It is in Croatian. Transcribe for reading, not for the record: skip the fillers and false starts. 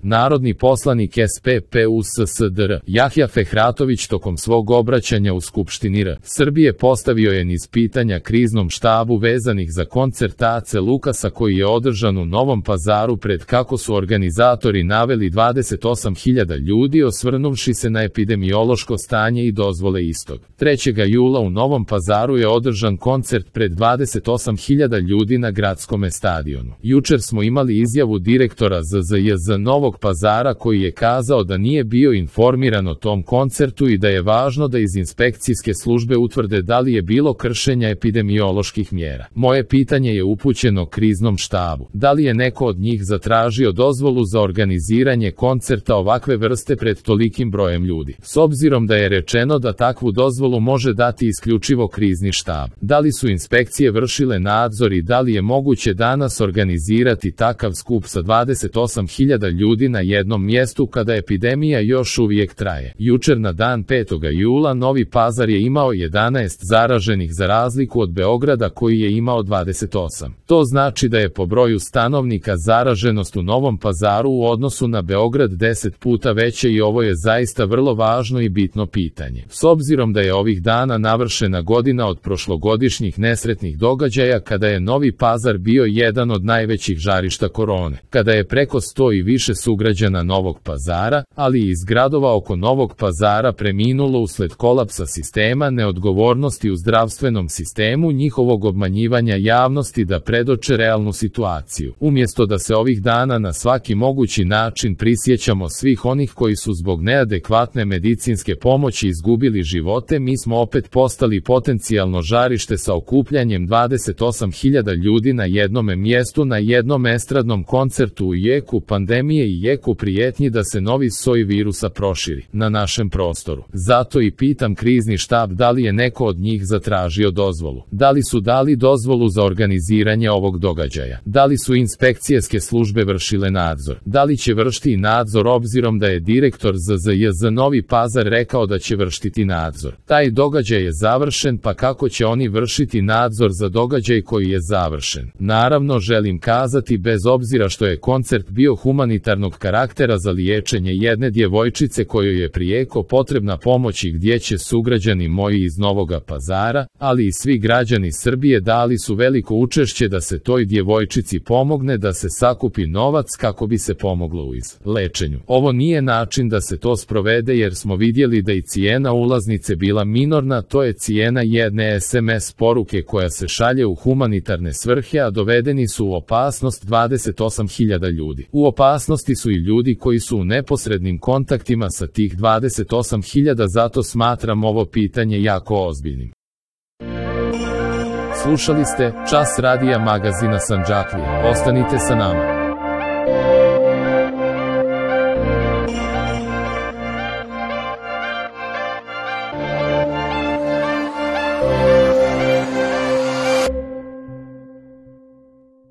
Narodni poslanik SPP u SSDR Jahja Fehratović tokom svog obraćanja u Skupštini R. Srbije postavio je niz pitanja kriznom štabu vezanih za koncert Ace Lukasa koji je održan u Novom Pazaru pred kako su organizatori naveli 28.000 ljudi osvrnuvši se na epidemiološko stanje i dozvole istog. 3. jula u Novom Pazaru je održan koncert pred 28.000 ljudi na gradskome stadionu. Jučer smo imali izjavu direktora ZZJZ Novog Pazara koji je kazao da nije bio informiran o tom koncertu i da je važno da iz inspekcijske službe utvrde da li je bilo kršenja epidemioloških mjera. Moje pitanje je upućeno kriznom štabu. Da li je neko od njih zatražio dozvolu za organiziranje koncerta ovakve vrste pred tolikim brojem ljudi? S obzirom da je rečeno da takvu dozvolu može dati isključivo krizni štab. Da li su inspekcije vršile nadzor i da li je moguće danas organizirati takav skup sa 28.000 ljudi na jednom mjestu kada epidemija još uvijek traje? Jučer na dan 5. jula Novi Pazar je imao 11 zaraženih za razliku od Beograda koji je imao 28. To znači da je po broju stanovnika zaraženost u Novom Pazaru u odnosu na Beograd 10 puta veće i ovo je zaista vrlo važno i bitno pitanje. S obzirom da je ovih dana navršena godina od prošlogodišnjih nesretnih događaja kada je Novi Pazar bio jedan od najvećih žarišta korone, kada je preko 100 i više sugrađana Novog Pazara, ali i iz gradova oko Novog Pazara preminulo usled kolapsa sistema, neodgovornosti u zdravstvenom sistemu, njihovog obmanjivanja javnosti da predoče realnu situaciju. Umjesto da se ovih dana na svaki mogući način prisjećamo svih onih koji su zbog neadekvatne medicinske pomoći izgubili živote, mi smo opet postali potencijalno žarište sa okupljanjem 28.000 ljudi na jednome mjestu na jednom estradnom koncertu u jeku pandemije i jeku prijetnji da se novi soj virusa proširi na našem prostoru. Zato i pitam krizni štab da li je neko od njih zatražio dozvolu. Da li su dali dozvolu za organiziranje ovog događaja? Da li su inspekcijske službe vršile nadzor? Da li će vršiti nadzor obzirom da je direktor ZZJZ Novi Pazar rekao da će vršiti nadzor? Taj događaj je završen, pa kako će oni vršiti nadzor za događaj koji je završen? Naravno želim kazati bez obzira što je koncert bio humanitarnog karaktera za liječenje jedne djevojčice kojoj je prijeko potrebna pomoć i gdje će sugrađani moji iz Novoga Pazara, ali i svi građani Srbije dali su veliko učešće da se toj djevojčici pomogne, da se sakupi novac kako bi se pomoglo u lečenju. Ovo nije način da se to sprovede jer smo vidjeli da i cijena ulaznice bila minorna, to je cijena jedne SMS poruke koja se šalje u humanitarne svrhe, a dovedeni su u opasnost 28.000 ljudi. U opasnosti su i ljudi koji su u neposrednim kontaktima sa tih 28.000, zato smatram ovo pitanje jako ozbiljnim. Slušali ste Čas radija magazina Sandžaklija. Ostanite sa nama.